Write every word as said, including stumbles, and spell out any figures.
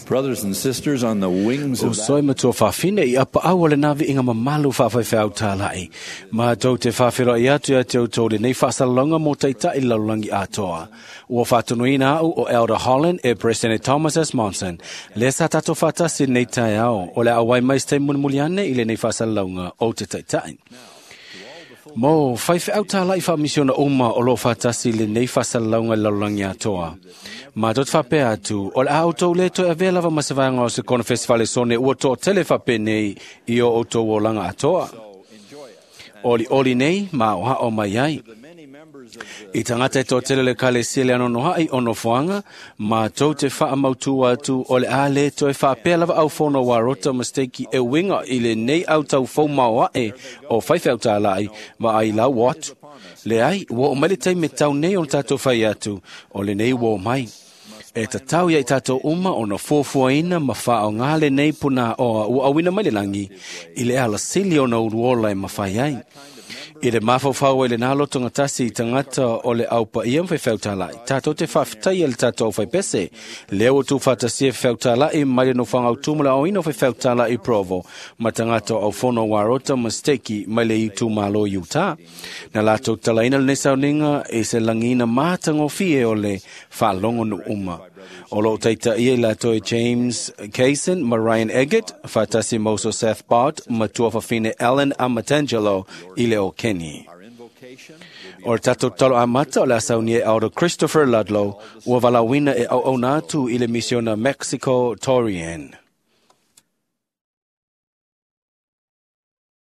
Brothers and sisters, on the wings O of that soe matua whawhine i apa au o le navi inga mamalu whawhaiwhau tālai. Mā tau te whawhero i atu ia te auto le nei whasalonga mō taitai lalulangi atoa. Ua whātunuina au o Elder Holland e President Thomas S. Monson. Le sa tato whatasi nei tai ao o le awai mai ste munmuliane i le nei whasalonga o te taitai. Mo whaiwhe au tālai wha uma o lo whatasi le nei whasalonga lalulangi atoa. Ma tot whapea atu, o le au tau le toe avea lava masawanga o se kona festivale sone ua tō tele whape nei i o o tō olanga atoa. Oli oli nei, ma o hao mai ai. I tangata e tō tele le kale sile ano no hai o no fuanga, ma tau te wha mautua atu o le a le toe whapea lava au whono wa rota mistake e winga i le nei au tau fau maoa e o whaiwhe au tālai ma ai lau watu. Le ai, ua o mai le taimi tau nei o le tātou whai atu, o le nei ua o mai. E tatau ia i tātou uma o na fuafuaina ma wha o ngā le nei puna o ua awina mai le langi, i le ala sili o na uruola e mawhai ai. I le mawhawhau e le nā lotonga tasi i tangata o le aupa ia mwhai whautalai. Tātou te whawhitai e le tātou whai pese. Leo o tū whatasia whautalai mai le no whangau tūmula o ino whai whautalai Provo. Ma tangata o whono warota misteki mai le i tūmalo Utah. Na lātou talaina le nesauninga e se langina mātango fie o le whalongo nu uma. O lo teita ia i lātou e James Kaysen ma Ryan Eggett, whatasi Moso Seth Bart, matua whawhine Ellen Amatangelo i le o Kenny. O le tātou talo amata o le asaunia e auro Christopher Ludlow, ua walawina e au au nātu i le misiona Mexico Torian.